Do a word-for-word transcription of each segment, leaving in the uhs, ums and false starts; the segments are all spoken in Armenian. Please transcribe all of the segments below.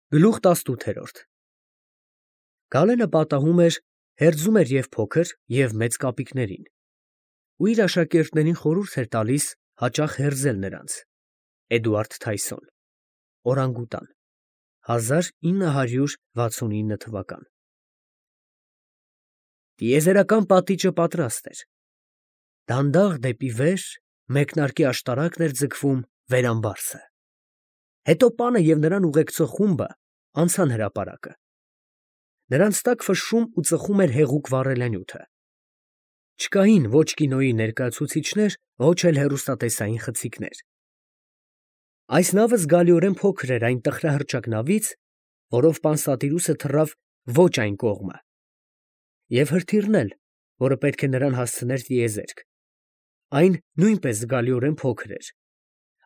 Գլուխ տասնութ։ Գալենը պատահում էր, հերձում էր և փոքր, և մեծ կապիկներին, ու իր աշակերտներին խորհուրդ էր տալիս հաճախ հերձել նրանց։ Էդուարդ Թայսոն, Օրանգուտան, հազար ինը հարյուր վաթսունինը թվական։ Տիեզերական պատիճը պատրաստ էր։ Դանդաղ դեպի վեր մեկնարկի աշտարակն էր ձգվում վերամբարձը։ Հետո պանը և նրան ուղեկցող խումբը անցան հրապարակը։ Նրանց տակ ֆշշում ու ծխում էր հեղուկ վառելանյութը։ Չկային ոչ կինոյի ներկայացուցիչներ, ոչ էլ հեռուստատեսային խցիկներ։ Այս նավը զգալիորեն փոքր էր այն տխրահռչակ նավից, որով Պանսատիրուսը թռավ ոչ այն կողմը, և հրթիռն էլ, որը պետք է նրան հասցներ տիեզերք, այն նույնպես զգալիորեն փոքր էր,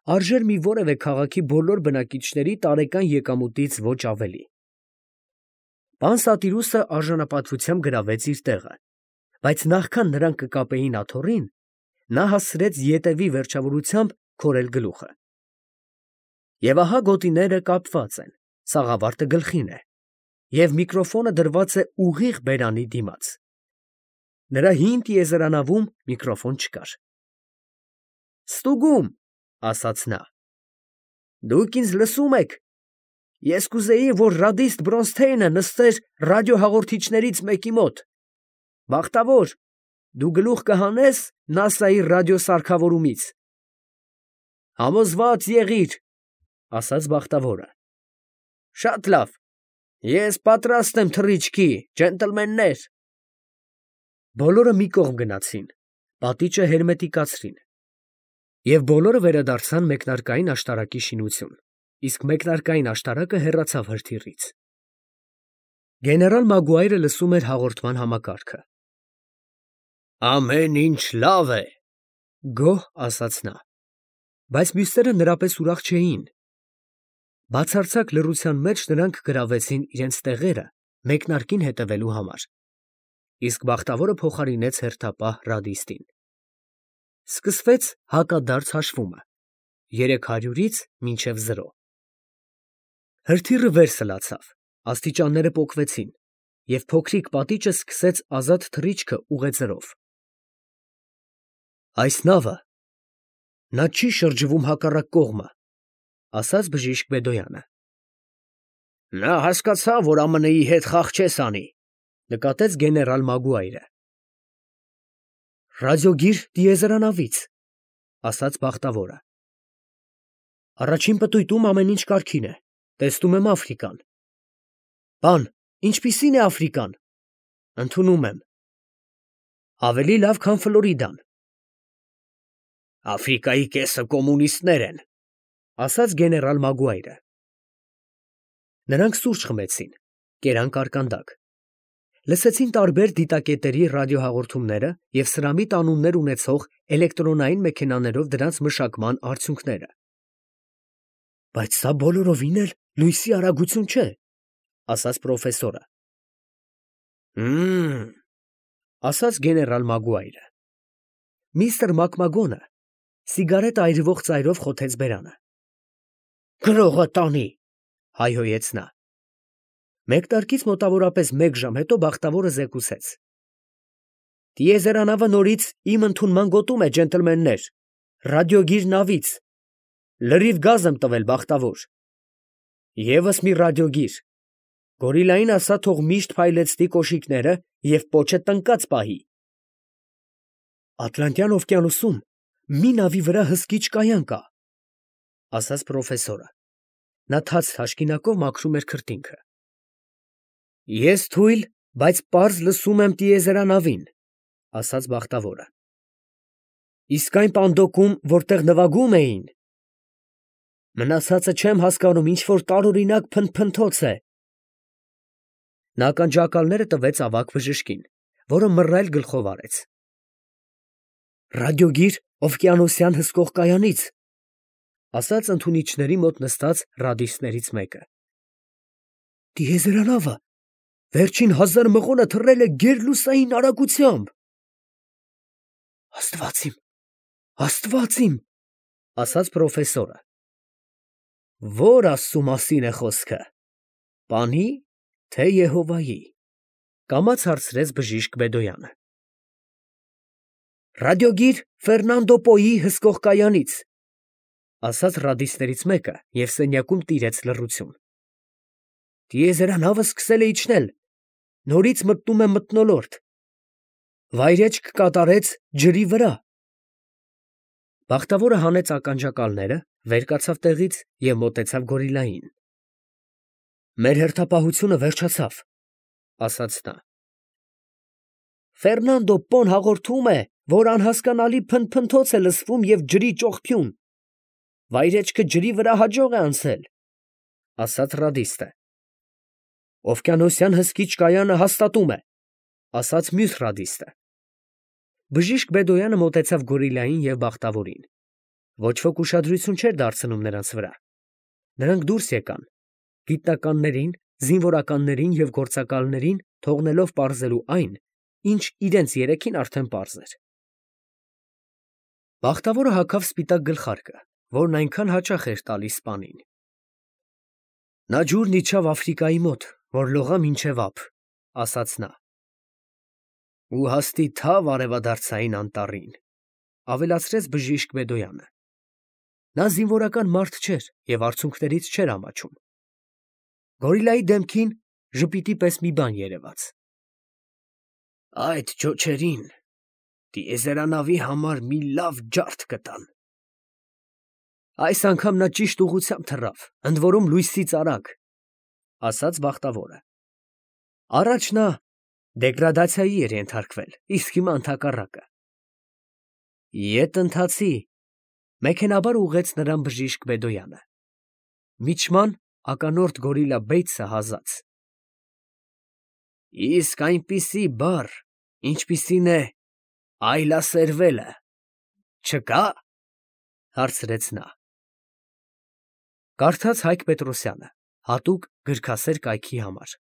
արժեր մի որևէ քաղաքի բոլոր բնակիչների տարեկան եկամուտից ոչ ավելի։ Պանսատիրուսը արժանապատվությամբ գրավեց իր տեղը, բայց նախքան նրանք կկապեին աթոռին, նա հասցրեց ետևի վերջավորությամբ քորել գլուխը։ Եվ ահա գոտիները կապված են, սաղավարտը գլխին է, և միկրոֆոնը դրված է ուղիղ բերանի դիմաց։ Նրա հին տիեզերանավում միկրոֆոն չկար։ «Ստուգում», ասաց նա։ «Դուք ինձ լսո՞ւմ եք։ Ես կուզեի, որ ռադիստ Բրոնսթեյնը նստեր ռադիոհաղորդիչներից մեկի մոտ։ Բախտավոր, դու գլուխ կհանես նասայի ռադիոսարքավորումից»։ «Համոզված եղիր», ասաց բախտավորը։ «Շատ լավ, ես պատրաստ եմ թռիչքի, ջենտլմեններ»։ Բոլորը մի կողմ գնացին, պատիճը հերմետիկացրին, և բոլորը վերադարձան մեկնարկային աշտարակի շինություն, իսկ մեկնարկային աշտարակը հեռացավ հրթիռից։ Գեներալ Մագուայրը լսում էր հաղորդման համակարգը։ «Ամեն ինչ լավ է», գոհ ասաց նա, բայց մյուսները նրա պես ուրախ չէին։ Բացարձակ լռության մեջ նրանք գրավեցին իրենց տեղերը մեկնարկին հետևելու համար, իսկ բախտավորը փոխարինեց հերթապահ ռադիստին։ Սկսվեց հակադարձ հաշվումը՝ երեք հարյուրից մինչև զրո։ Հրթիռը վեր սլացավ, աստիճանները պոկվեցին, և փոքրիկ պատիճը սկսեց ազատ թռիչքը ուղեծրով։ «Այս նավը, նա չի շրջվում հակառակ կողմը», ասաց բժիշկ Բեդոյանը։ «Նա հասկացավ, որ ԱՄՆ֊ի հետ խաղ չես անի», նկատեց գեներալ Մագուայրը։ «Ռադիոգիր տիեզերանավից», ասաց բախտավորը։ «Առաջին պտույտում ամեն ինչ կարգին է, տեսնում եմ Աֆրիկան»։ «Պան, ինչպիսի՞ն է Աֆրիկան»։ «Ընդունում եմ»։ «Ավելի լավ, քան Ֆլորիդան»։ «Աֆրիկայի կեսը կոմունիստներ են», ասաց գեներալ Մագուայրը։ Նրանք սուրճ խմեցին, կերան կարկանդակ, լսեցին տարբեր դիտակետերի ռադիոհաղորդումները և սրամիտ անուններ ունեցող էլեկտրոնային մեքենաներով դրանց մշակման արդյունքները։ «Բայց սա բոլորովին էլ լույսի արագություն չէ», ասաց պրոֆեսորը։ «Հըմ», ասաց գեներալ Մագուայրը։ Միստր Մակմագոնը սիգարետ այրվող ծայրով խոթեց բերանը։ «Գրողը տանի», հայհոյեց նա։ Մեկնարկից մոտավորապես մեկ ժամ հետո բախտավորը զեկուցեց. «Տիեզերանավը նորից իմ ընդունման գոտում է, ջենտլմեններ, ռադիոգիր նավից։ Լրիվ գազ եմ տվել, բախտավոր։ Եվս մի ռադիոգիր։ Գորիլային ասա, թող միշտ փայլեցնի կոշիկները և պոչը տնկած պահի»։ «Ատլանտյան օվկիանոսում մի նավի վրա հսկիչ կայան կա», ասաց պրոֆեսորը։ Նա թաց թաշկինակով մաքրում էր քրտինքը։ «Ես թույլ, բայց պարզ լսում եմ տիեզերանավին», ասաց բախտավորը։ «Իսկ այն պանդոկում, որտեղ նվագում էին»։ «Մնացածը չեմ հասկանում, ինչ֊որ տարօրինակ փնթփնթոց է»։ Նա ականջակալները տվեց ավագ բժշկին, որը մռայլ գլխով արեց։ «Ռադիոգիր օվկիանոսյան հսկող կայանից», ասաց ընդունիչների մոտ նստած ռադիստներից մեկը։ «Տիեզերանավը վերջին հազար մղոնը թռել է գերլուսային արագությամբ»։ «Աստված իմ, Աստված իմ», ասաց պրոֆեսորը։ «Ո՞ր Աստծու մասին է խոսքը»։ Պանի, թե Եհովայի, կամաց հարցրեց բժիշկ Բեդոյանը։ Ռադիոգիր Ֆերնանդո Պոյի հսկող կայանից, ասաց ռադիստներից մեկը և սենյակում տիրեց լռություն։ Տիեզերանավը սկսել է իջնել, նորից մտնում է մթնոլորտ, վայրէջք կատարեց ջրի վրա։ Բախտավորը հանեց ականջակալները, վեր կացավ տեղից և մոտեցավ գորիլային։ Մեր հերթապահությունը վերջացավ, ասաց նա։ Ֆերնանդո Պոն հաղորդում է, որ անհասկանալի փնթփնթոց է լսվում և ջրի ճոխփյուն, վայրեջքը ջրի վրա հաջող է անցել, ասաց ռադիստը։ Օվկիանոսյան հսկիչ կայանը հաստատում է, ասաց մյուս ռադիստը։ Բժիշկ Բեդոյանը մոտեցավ գորիլային և բախտավորին։ Ոչ ոք ուշադրություն չէր դարձնում նրանց վրա։ Նրանք դուրս եկան, գիտնականներին, զինվորականներին և գործակալներին թողնելով պարզելու այն, ինչ իրենց երեքին արդեն պարզ էր։ Բախտավորը հագավ սպիտակ գլխարկը, որն այնքան հաճախ էր տալիս սպանին։ Նա ջուրն իջավ Աֆրիկայի մոտ, որ լողա մինչև ափ, ասաց նա։ Ու հաստի թավ արևադարձային անտառին, ավելացրեց բժիշկ Բեդոյանը։ Նա զինվորական մարդ չէր և արցունքներից չէր ամաչում։ Գորիլայի դեմքին ժպիտի պես մի բան երևաց։ Այդ ջոջերին տիեզերանավի համար մի լավ ջարդ կտան։ Այս անգամ նա ճիշտ ուղղությամբ թռավ, ընդ որում լույսից արագ, ասաց բախտավորը։ Առաջ նա դեգրադացիայի էր ենթարկվել, իսկ հիմա ընդհակառակը։ Ետ ընթացի, մեքենայաբար ուղղեց նրան բժիշկ Բեդոյանը։ Միջման ականորդ գորիլա Բեյցը հազաց։ Իսկ այնպիսի բառ, ինչպիսին է այլասերվելը, չկա՞, հարցրեց նա։ Կարդաց Հայկ Պետրոսյանը, հատուկ գրքասեր կայքի համար։